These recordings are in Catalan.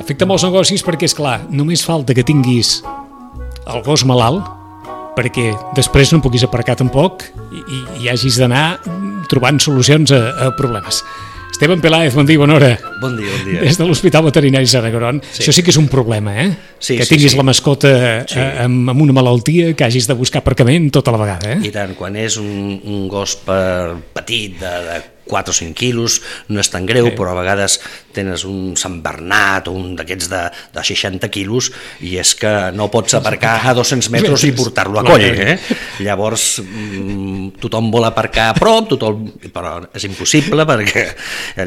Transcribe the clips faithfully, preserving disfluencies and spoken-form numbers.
Afecta molts negocis perquè, és clar, només falta que tinguis el gos malalt perquè després no puguis aparcar tampoc i, i, i hagis d'anar trobant solucions a, a problemes. Esteban Peláez, bon dia, bona hora. Bon dia, bon dia. Des de l'Hospital Veterinari Sant Agron. Sí. Això sí que és un problema, eh? Sí, que sí, tinguis sí. la mascota Sí. amb, amb una malaltia, que hagis de buscar aparcament tota la vegada, eh? I tant, quan és un, un gos per petit de, de quatre o cinc quilos no és tan greu, Sí. però a vegades tens un Sant Bernat o un d'aquests de, de seixanta quilos i és que no pots aparcar a dos-cents metres i portar-lo a coll, eh? Llavors mm, tothom vol aparcar a prop, tothom, però és impossible perquè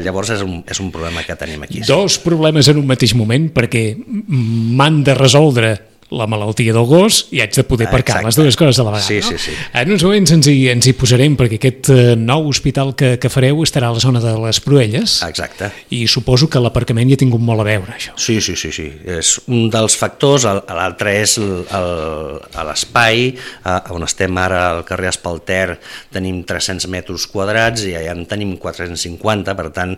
llavors és un, és un problema que tenim aquí. Dos problemes en un mateix moment perquè m'han de resoldre la malaltia del gos i haig de poder aparcar Exacte. les dues coses a la vegada. Sí, no? sí, sí. En uns moments ens hi, ens hi posarem perquè aquest eh, nou hospital que, que fareu estarà a la zona de les Proelles Exacte. i suposo que l'aparcament hi ha tingut molt a veure, això. Sí, sí, sí, sí. És un dels factors, l'altre és el, el, a l'espai, on estem ara al carrer Espalter tenim tres-cents metres quadrats i allà en tenim quatre-cents cinquanta, per tant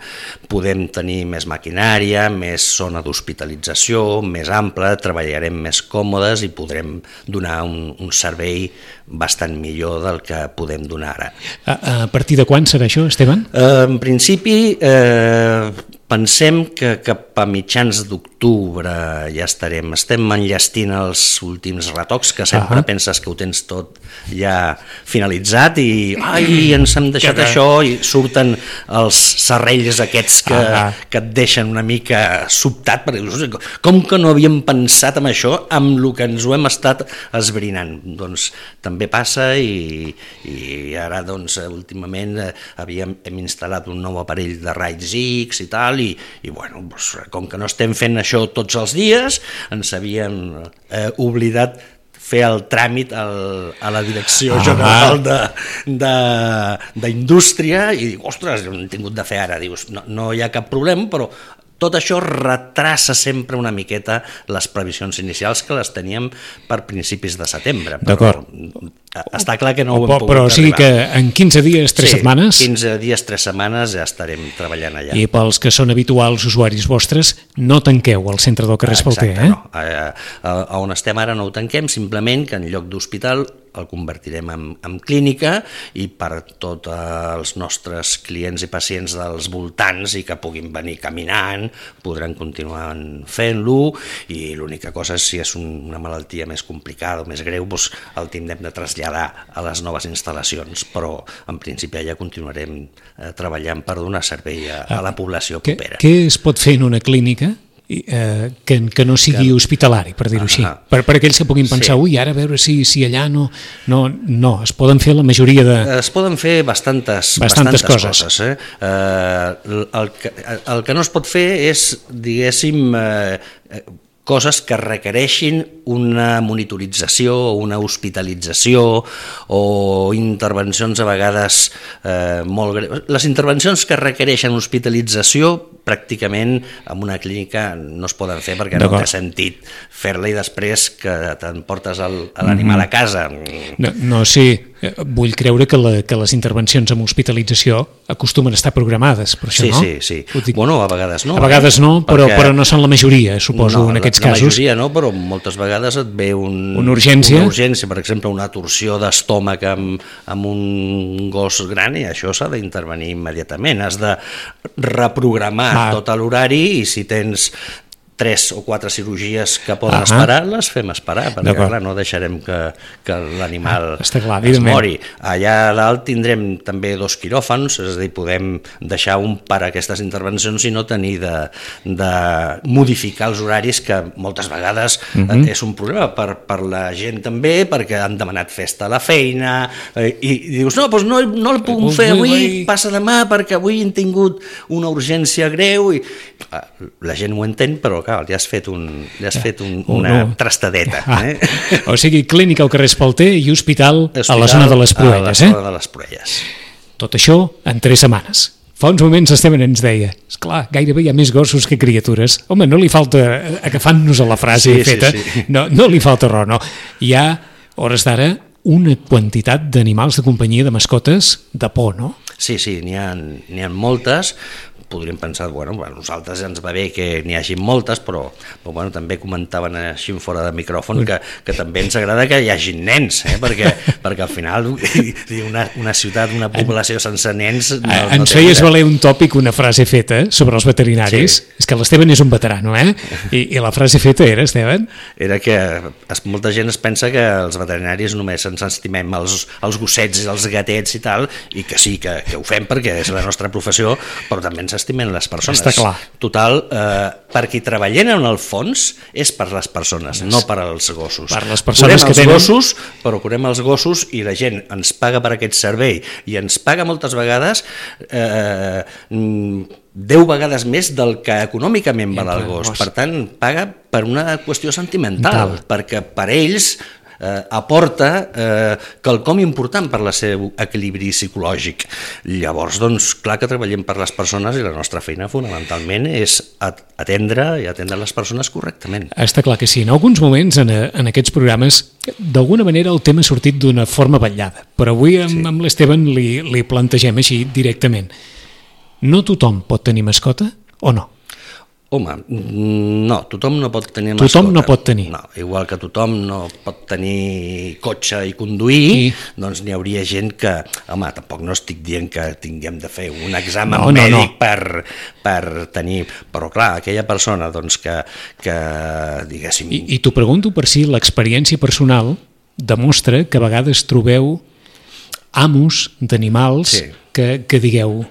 podem tenir més maquinària, més zona d'hospitalització, més ampla, treballarem més còmodes i podrem donar un, un servei bastant millor del que podem donar ara. A, a partir de quan serà això, Esteban? Eh, en principi, eh, pensem que cap a mitjans d'octubre ja estarem. Estem enllestint els últims retocs, que sempre Ah. penses que ho tens tot ja finalitzat i ai, ens hem deixat Que- això i surten els serrells aquests que, Ah. que et deixen una mica sobtat, perquè dius, com que no havíem pensat en això, amb el que ens ho hem estat esbrinant. Doncs també passa i, i ara doncs últimament eh, havíem, hem instal·lat un nou aparell de raigs X i tal, i, i bueno, doncs, com que no estem fent això tots els dies, ens havíem eh, oblidat fer el tràmit al, a la Direcció Ah. General de- de- d'Indústria i dic, ostres, ho hem tingut de fer ara. Dius, no, no hi ha cap problema, però tot això retrassa sempre una miqueta les previsions inicials que les teníem per principis de setembre. Però D'acord. Està clar que no ho hem Però, pogut però o sigui arribar. que en quinze dies, tres Sí, setmanes, quinze dies, tres setmanes ja estarem treballant allà. i pels que són habituals usuaris vostres, no tanqueu el centre del carrer Espalter, Exacte, eh? no. A, a, a on estem ara no ho tanquem, simplement que en lloc d'hospital el convertirem en, en clínica i per tots els nostres clients i pacients dels voltants i que puguin venir caminant, podran continuar fent-lo i l'única cosa és si és un, una malaltia més complicada o més greu, doncs el tindrem de traslladar a les noves instal·lacions, però en principi ja continuarem eh, treballant per donar servei a, a la població Què, propera. què es pot fer en una clínica i, eh, que, que no sigui Que- hospitalari, per dir-ho així? Ah, ah. Per, per aquells que puguin pensar, Sí. ui, ara a veure si, si allà no, no... No, es poden fer la majoria de... Es poden fer bastantes, Bastantes bastantes, coses. coses. eh? Eh, el, que, el que no es pot fer és, diguéssim, eh, eh, coses que requereixin una monitorització o una hospitalització o intervencions a vegades eh, molt greus. Les intervencions que requereixen hospitalització pràcticament en una clínica no es poden fer perquè no D'acord. té sentit fer-la i després que t'emportes el- a l'animal a casa. No, no sé, eh, vull creure que, la, que les intervencions amb hospitalització acostumen a estar programades, per això, Sí, no? sí, sí. Ho dic- Bueno, a vegades no. a vegades no, però, Perquè- però no són la majoria, suposo, no, en aquests la, casos. La majoria no, però moltes vegades et ve un, Una urgència. una urgència, per exemple, una torsió d'estómac amb, amb un gos gran i això s'ha d'intervenir immediatament. Has de reprogramar Ah. tot l'horari i si tens tres o quatre cirurgies que poden Ahà. esperar, les fem esperar, perquè D'acord. clar, no deixarem que, que l'animal Ah, està clar, es evidentment. mori. Allà a dalt tindrem també dos quiròfans, és a dir, podem deixar un per a aquestes intervencions i no tenir de, de modificar els horaris, que moltes vegades Mhm. eh, és un problema per, per la gent també, perquè han demanat festa a la feina, eh, i, i dius, no, doncs no, no el puc fer avui, passa demà, perquè avui hem tingut una urgència greu, i ah, la gent ho entén, però clar, li has fet, un, li has fet un, Oh, una no. trastadeta. Ah, Eh? o sigui, clínica al carrer Espalter i hospital, a la zona de les A la Proelles, eh? zona de les Proelles. Tot això en tres setmanes. Fa uns moments Esteban ens deia, esclar, gairebé hi ha més gossos que criatures. Home, no li falta, agafant-nos a la frase Sí, sí, feta, sí. No, no li falta raó, no. Hi ha, a hores d'ara, una quantitat d'animals de companyia, de mascotes, de por, no? Sí, sí, n'hi ha, n'hi ha moltes, podríem pensar, bueno, a nosaltres ens va bé que n'hi hagi moltes, però, però bueno, també comentaven així fora de micròfon que, que també ens agrada que hi hagi nens, eh? perquè, perquè al final una, una ciutat, una població sense nens... No, no ens feies valer un tòpic, una frase feta sobre els veterinaris, sí. És que l'Esteban és un veterano, eh? I, i la frase feta era, Esteban? Era que es, molta gent es pensa que els veterinaris només ens estimem els, els gossets i els gatets i tal, i que sí, que, que ho fem perquè és la nostra professió, però també ens estimen les persones. Està clar. Total, eh, per qui treballem en el fons és per les persones, yes. No per als gossos. Per les persones curem que tenen... els gossos, però curem els gossos i la gent ens paga per aquest servei i ens paga moltes vegades eh, deu vegades més del que econòmicament val el gos. Per tant, paga per una qüestió sentimental, Tal. perquè per ells eh, aporta eh, quelcom important per el seu equilibri psicològic. Llavors, doncs, clar que treballem per les persones i la nostra feina fonamentalment és atendre i atendre les persones correctament. Està clar que sí. En alguns moments, en, en aquests programes, d'alguna manera el tema ha sortit d'una forma vetllada, però avui amb, sí. amb l'Esteban li, li plantegem així directament. No tothom pot tenir mascota o no? Home, no, tothom no pot tenir mascota. Tothom no pot tenir. No, igual que tothom no pot tenir cotxe i conduir, I... doncs n'hi hauria gent que, home, tampoc no estic dient que tinguem de fer un examen no, mèdic no, no. Per, per tenir, però clar, aquella persona doncs que, que diguéssim... I, i t'ho pregunto per si l'experiència personal demostra que a vegades trobeu amos d'animals sí. que, que digueu...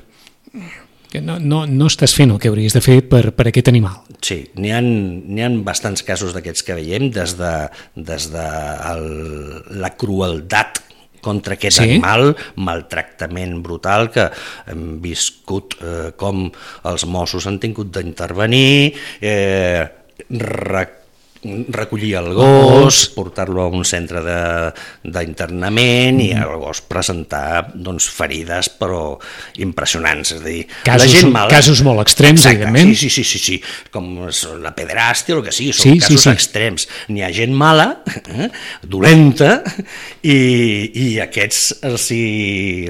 que no, no, no estàs fent el que hauries de fer per, per aquest animal. Sí, n'hi ha, n'hi ha bastants casos d'aquests que veiem, des de, des de el, la crueltat contra aquest sí? animal, maltractament brutal, que hem viscut eh, com els Mossos han tingut d'intervenir, eh, rec recollir el gos, portar-lo a un centre d'internament i el gos presentar doncs, ferides però impressionants, és a dir, casos, la gent mala... Casos molt extrems, exacte, evidentment. Sí, sí, sí, sí, com la pederàstia o el que sigui, són sí, casos sí, sí. extrems. N'hi ha gent mala, eh, dolenta, i, i a aquests els hi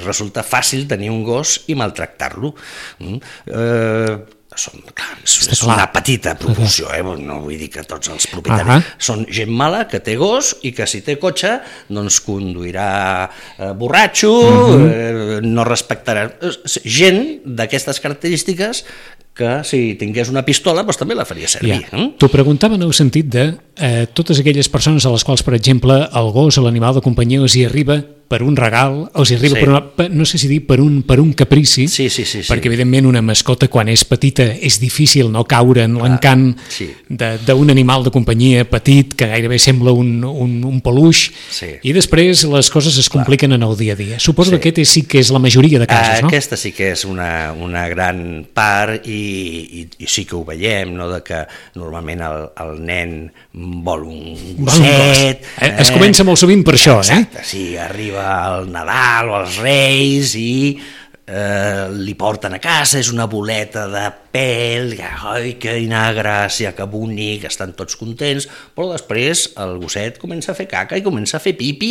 resulta fàcil tenir un gos i maltractar-lo. Mm? Eh, Són, clar, és, és una petita proporció, eh? No vull dir que tots els propietaris... Uh-huh. Són gent mala que té gos i que si té cotxe doncs conduirà eh, borratxo, uh-huh. eh, no respectarà... Gent d'aquestes característiques que si tingués una pistola doncs també la faria servir. Ja. Eh? T'ho preguntava en el sentit de eh, totes aquelles persones a les quals, per exemple, el gos o l'animal de companyia els hi arriba per un regal, els hi arriba sí. per una, per, no sé si dir per un, per un caprici, sí, sí, sí, sí. perquè evidentment una mascota quan és petita és difícil no caure en l'encant sí. d'un animal de companyia petit que gairebé sembla un, un, un peluix sí. i després les coses es compliquen Clar. en el dia a dia. Suposo sí. que aquest sí que és la majoria de casos, no? Aquesta sí que és una, una gran part i, i, i sí que ho veiem, no? De que normalment el, el nen vol un gosset. Eh? Es comença molt sovint per això, Exacte, eh? Sí, arriba al Nadal o als Reis i eh, li porten a casa, és una boleta de pèl, ai, quina gràcia, que bonic, estan tots contents, però després el gosset comença a fer caca i comença a fer pipi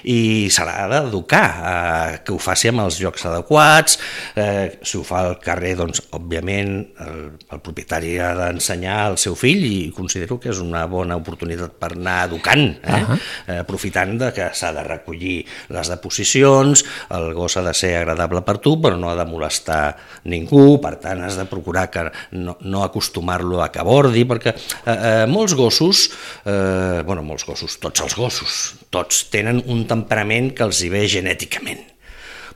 i se l'ha d'educar, eh, que ho faci amb els llocs adequats, eh, si ho fa al carrer, doncs, òbviament, el, el propietari ha d'ensenyar al seu fill i considero que és una bona oportunitat per anar educant, eh? Uh-huh. eh, aprofitant de que s'ha de recollir les deposicions, el gos ha de ser agradable per tu, però no ha de molestar ningú, per tant, has de procurar que no, no acostumar-lo a que abordi, perquè eh, eh, molts gossos, eh, bueno, molts gossos, tots els gossos, tots tenen un temperament que els hi ve genèticament.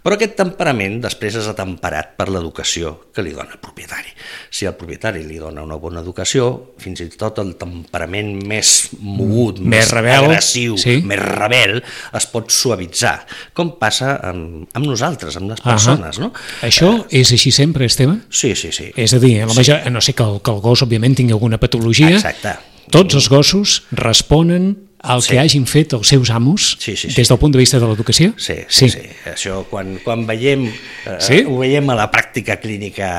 Però aquest temperament després és atemperat per l'educació que li dona el propietari. Si el propietari li dona una bona educació, fins i tot el temperament més mogut, més, més rebel, agressiu, sí? més rebel, es pot suavitzar, com passa amb, amb nosaltres, amb les persones. Uh-huh. No? Això eh, és així sempre, Esteban? Sí, sí, sí. És a dir, la major, sí. no sé que el, que el gos, òbviament, tingui alguna patologia, Exacte. tots els gossos responen el sí. que hagin fet els seus amos sí, sí, sí. des del punt de vista de l'educació? Sí, sí, sí. sí. Això quan, quan veiem, eh, sí? ho veiem a la pràctica clínica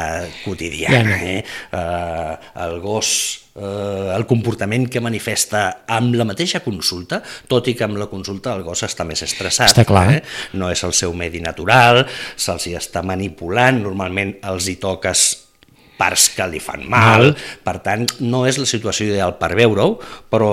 quotidiana. Eh? Eh, el gos, eh, el comportament que manifesta amb la mateixa consulta, tot i que amb la consulta el gos està més estressat. Està clar. Eh? No és el seu medi natural, se'ls hi està manipulant, normalment els hi toques parts que li fan mal, mal. Per tant, no és la situació ideal per veure-ho, però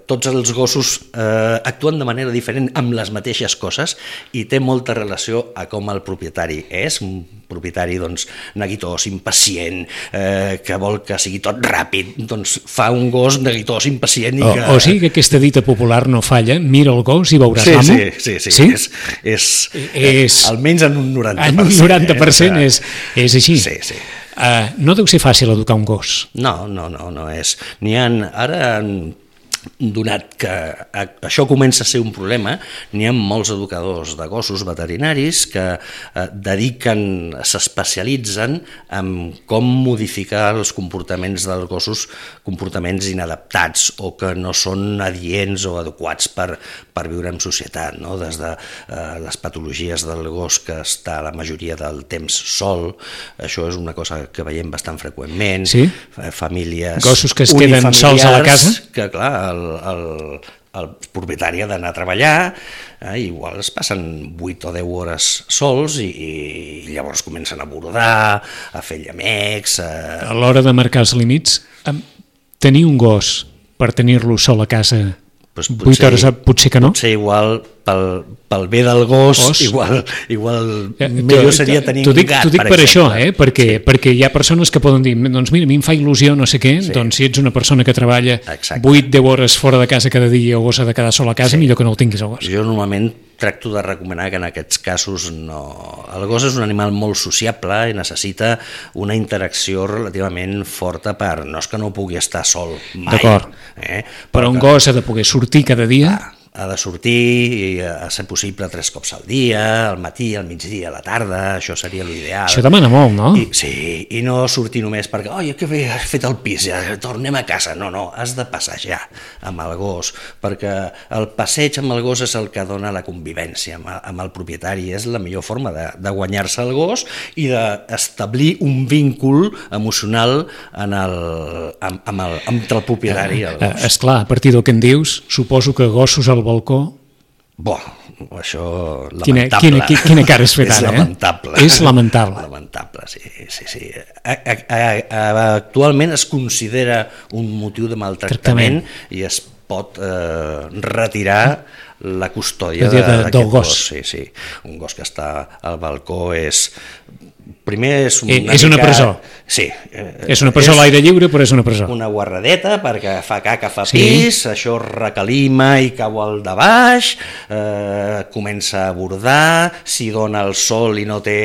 tots els gossos eh, actuen de manera diferent amb les mateixes coses i té molta relació a com el propietari és, un propietari doncs, neguitós, impacient, eh, que vol que sigui tot ràpid, doncs fa un gos neguitós, impacient i o, que... O sigui que aquesta dita popular no falla, mira el gos i veuràs sí, l'amo? Sí, sí, sí, sí? És, és, és... almenys en un noranta per cent. En un noranta per cent és, és així. Sí, sí. Uh, no deu ser fàcil educar un gos. No, no, no, no és. N'hi ha, ara, donat que això comença a ser un problema, n'hi ha molts educadors de gossos veterinaris que eh, dediquen, s'especialitzen en com modificar els comportaments dels gossos, comportaments inadaptats o que no són adients o adequats per, per viure en societat, no? Des de eh, les patologies del gos que està la majoria del temps sol, això és una cosa que veiem bastant freqüentment, sí? Famílies gossos que es queden sols a la casa, que clar, el, el, el propietari ha d'anar a treballar, eh, igual es passen vuit o deu hores sols i, i llavors comencen a bordar, a fer llamecs... A, a l'hora de marcar els límits, tenir un gos per tenir-lo sol a casa pues vuit hores, potser que no? Potser igual pel, pel bé del gos, gos. igual, igual eh, millor seria tenir un dic, gat, per, per per exemple. això, eh? perquè, sí. perquè hi ha persones que poden dir, doncs mira, a mi em fa il·lusió no sé què, sí. doncs si ets una persona que treballa vuit a deu hores fora de casa cada dia o gos ha de quedar sol a casa, sí. millor que no el tinguis al gos. Jo normalment tracto de recomanar que en aquests casos no... El gos és un animal molt sociable i necessita una interacció relativament forta per... No és que no pugui estar sol mai. D'acord, eh? però, però un que... gos ha de poder sortir cada dia... Ah. Ha de sortir, i a ser possible tres cops al dia, al matí, al migdia, a la tarda, això seria l'ideal. Això demana molt, no? I, sí, i no sortir només perquè, oi, que bé, has fet el pis, ja tornem a casa. No, no, has de passejar amb el gos, perquè el passeig amb el gos és el que dona la convivència amb, amb el propietari, és la millor forma de, de guanyar-se el gos i d'establir un víncul emocional en el, amb, amb el, entre el propietari i el gos. Eh, esclar, a partir del que em dius, suposo que gossos al balcó... Bo, això quina, lamentable. Quina, quina cara has fet és ara, lamentable. eh? És lamentable. Lamentable, sí, sí, sí. A, a, a, actualment es considera un motiu de maltractament Tractament. i es pot eh, retirar la custòdia de, de, del gos. gos. Sí, sí. Un gos que està al balcó és... Primer és una, és una mica... presó. Sí. És una presó a l'aire lliure, però és una presó. Una guarradeta perquè fa caca, fa sí. pis, això recalima i cau al de baix, eh, comença a bordar, si dona el sol i no té,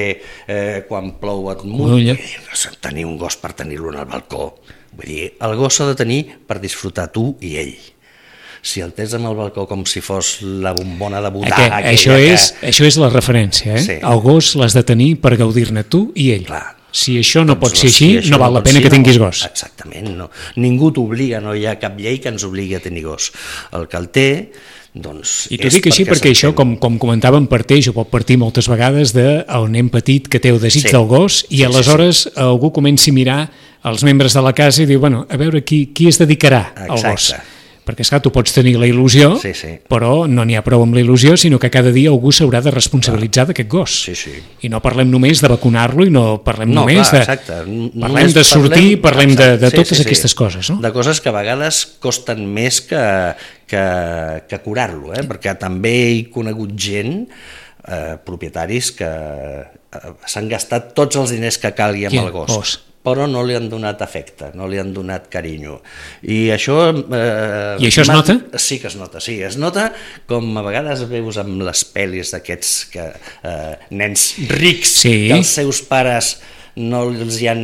eh, quan plou et mulla. Tenir un gos per tenir-lo en el balcó. Vull dir, el gos s'ha de tenir per disfrutar tu i ell. Si el tens amb el balcó com si fos la bombona de botar... Aquest, això, que... és, això és la referència, eh? Sí. El gos l'has de tenir per gaudir-ne tu i ell. Clar. Si això no doncs pot ser així, si no val no la pena que tinguis gos. Exactament, no. Ningú t'obliga, no hi ha cap llei que ens obligui a tenir gos. El que el té... Doncs I t'ho dic així perquè això, com, com comentàvem, parteix o pot partir moltes vegades del nen petit que té el desig sí. del gos i sí, aleshores sí, sí. algú comenci a mirar els membres de la casa i diu, bueno, a veure qui, qui es dedicarà al gos. Perquè, esclar, tu pots tenir la il·lusió, sí, sí. però no n'hi ha prou amb la il·lusió, sinó que cada dia algú s'haurà de responsabilitzar ah. d'aquest gos. Sí, sí. I no parlem només de vacunar-lo i no parlem no, només clar, de... Exacte. Parlem només de sortir, parlem, parlem de, de sí, totes sí, sí. aquestes coses. No? De coses que a vegades costen més que, que, que curar-lo, eh? Perquè també he conegut gent, eh, propietaris, que eh, s'han gastat tots els diners que calgui amb Qui? el gos. gos. però no li han donat afecte, no li han donat carinyo. I això... Eh, I això es nota? Sí que es nota, sí. Es nota com a vegades veus amb les pel·lis d'aquests que, eh, nens rics, sí. que els seus pares no els hi han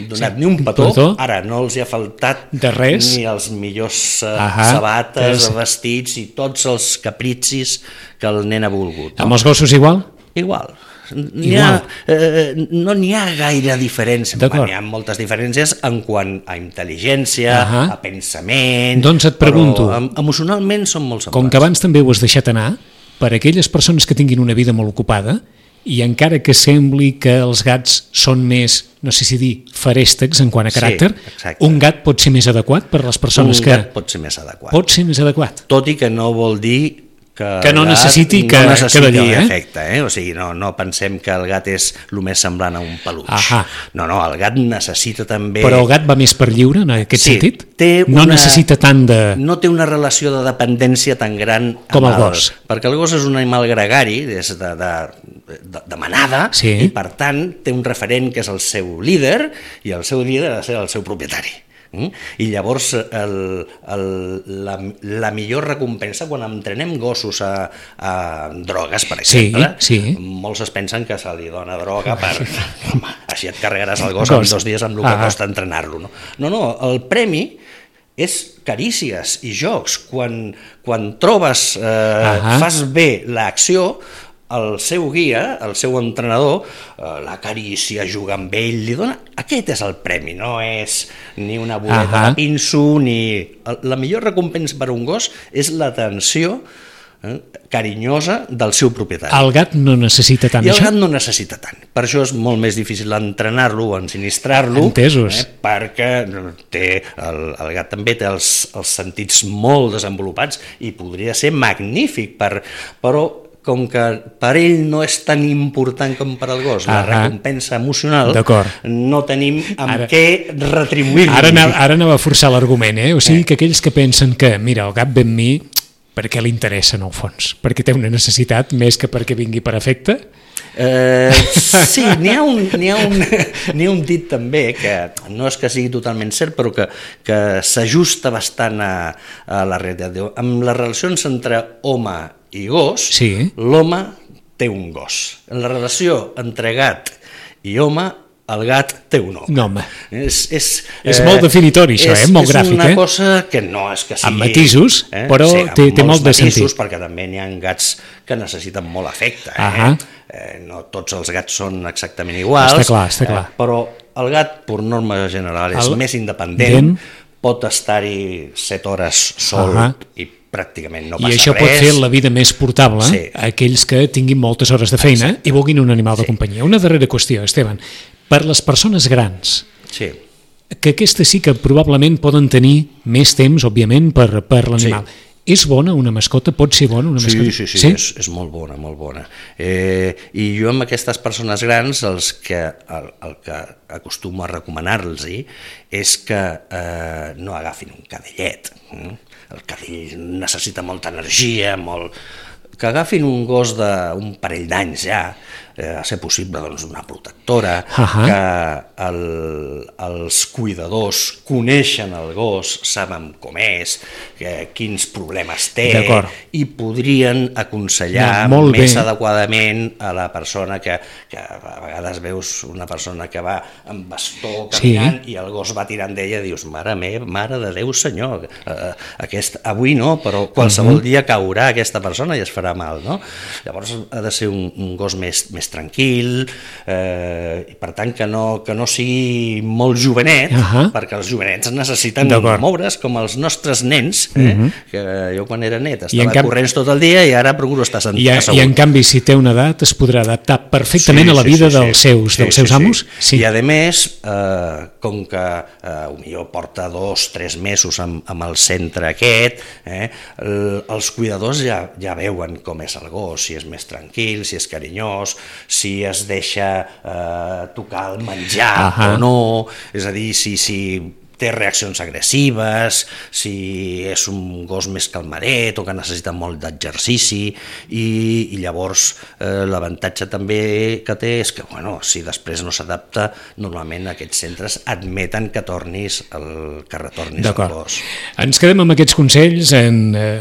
donat sí. ni un petó, petó, ara no els hi ha faltat de res. Ni els millors eh, sabates, és... vestits i tots els capricis que el nen ha volgut. No? Amb els gossos igual? Igual. N'hi ha, eh, no n'hi ha gaire diferència, n'hi ha moltes diferències en quant a intel·ligència, uh-huh. a pensament, doncs et pregunto, però emocionalment són molt semblants. Com que abans també ho has deixat anar, per a aquelles persones que tinguin una vida molt ocupada, i encara que sembli que els gats són més, no sé si dir, ferèstecs en quant a caràcter, sí, un gat pot ser més adequat per a les persones un que... Un gat pot ser més adequat. Pot ser més adequat. Tot i que no vol dir que, que no necessiti que, no necessita que d'allí, eh? efecte, eh? O sigui, no, no pensem que el gat és el més semblant a un peluix. Ahà. No, no, el gat necessita també... Però el gat va més per lliure, en aquest sí, sentit? Té no una... necessita tant de... No té una relació de dependència tan gran com el gos. Perquè el gos és un animal gregari, és de, de, de, de manada, sí. i per tant té un referent que és el seu líder, i el seu líder ha de ser el seu propietari. Mm? I llavors el, el, la, la millor recompensa quan entrenem gossos a, a drogues, per exemple, sí, sí. molts es pensen que se li dona droga per home, així et carregaràs el gos en dos dies amb el que ah. costa entrenar-lo. No? no, no, el premi és carícies i jocs. Quan, quan trobes, eh, fas bé l'acció, el seu guia, el seu entrenador, eh, l'acaricia, juga amb ell, li dona... Aquest és el premi, no és ni una boleta uh-huh. de pinso, ni... La millor recompensa per a un gos és l'atenció eh, carinyosa del seu propietari. El gat no necessita tant I el això? gat no necessita tant. Per això és molt més difícil entrenar-lo o ensinistrar-lo. Entesos. Eh, perquè té, el, el gat també té els, els sentits molt desenvolupats i podria ser magnífic, per, però com que per ell no és tan important com per al gos, la recompensa emocional, no tenim amb ara, què retribuir-lo. Ara, ara anava a forçar l'argument, eh? O sigui eh. que aquells que pensen que, mira, el gat ve amb mi perquè li interessa en el fons, perquè té una necessitat més que perquè vingui per afecte? Eh, sí, n'hi ha, un, n'hi ha, un, n'hi ha un dit també que no és que sigui totalment cert, però que, que s'ajusta bastant a, a la realitat. Amb les relacions entre home i gos, sí. l'home té un gos. En la relació entre gat i home, el gat té un home. No, home. És, és, és eh, molt definitori això, és, eh? Molt gràfic. És una eh? cosa que no és que sigui... Amb matisos, eh? però sí, té, té molt de sentit. Matisos, perquè també n'hi ha gats que necessiten molt afecte. Eh? Eh, no tots els gats són exactament iguals. Està clar, està clar. Eh, però el gat, per norma general, és el... més independent, pot estar-hi set hores sol uh-huh. i pràcticament no passa res. I això res. Pot fer la vida més portable sí. a aquells que tinguin moltes hores de feina Exacte. I vulguin un animal sí. de companyia. Una darrera qüestió, Esteban. Per les persones grans, sí. que aquestes sí que probablement poden tenir més temps, òbviament, per, per l'animal. Sí. És bona una mascota? Pot ser bona una mascota? Sí, sí, sí, sí? És, és molt bona, molt bona. Eh, I jo amb aquestes persones grans, els que, el, el que acostumo a recomanar-los és que eh, no agafin un cadellet. Eh? El cadell necessita molta energia, molt... que agafin un gos d'un parell d'anys ja, eh, a ser possible doncs, una protectora, uh-huh. que el, els cuidadors coneixen el gos, saben com és, que, quins problemes té, i podrien aconsellar no, més bé. Adequadament a la persona que, que a vegades veus una persona que va amb bastó caminant sí. i el gos va tirant d'ella i dius, mare meva, mare de Déu senyor, eh, aquest, avui no, però qualsevol uh-huh. dia caurà aquesta persona i es farà mal, no? Llavors ha de ser un, un gos més, més tranquil, eh, i per tant que no, que no sigui molt jovenet, uh-huh. perquè els jovenets necessiten moure's com els nostres nens, eh? uh-huh. que jo quan era net estava cap... corrents tot el dia i ara procuro estar sentit I, assegut. I en canvi si té una edat es podrà adaptar perfectament sí, a la vida sí, sí, dels sí. seus, sí, dels sí, seus amos? Sí. Sí. I a més, eh, com que eh, potser porta dos, tres mesos amb, amb el centre aquest, eh, el, els cuidadors ja, ja veuen com és el gos, si és més tranquil, si és carinyós, si es deixa eh, tocar el menjar uh-huh. o no, és a dir, si, si té reaccions agressives, si és un gos més calmadet o que necessita molt d'exercici i, i llavors eh, l'avantatge també que té és que bueno, si després no s'adapta, normalment aquests centres admeten que tornis el, que retornis el gos. Ens quedem amb aquests consells en... Eh...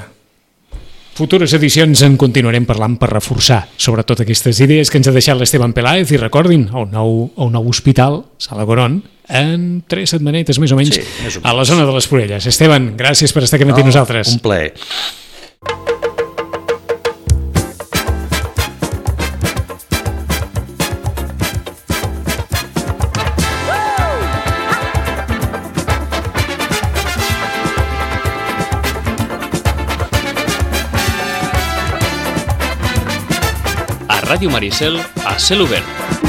futures edicions en continuarem parlant per reforçar sobretot aquestes idees que ens ha deixat l'Esteban Peláez i recordin, el nou, el nou hospital Sala Goron en tres setmanetes més o menys, sí, més o menys a la zona de les Purelles. Esteban, gràcies per estar aquí amb oh, nosaltres. Un plaer. Ràdio Maricel a cel obert.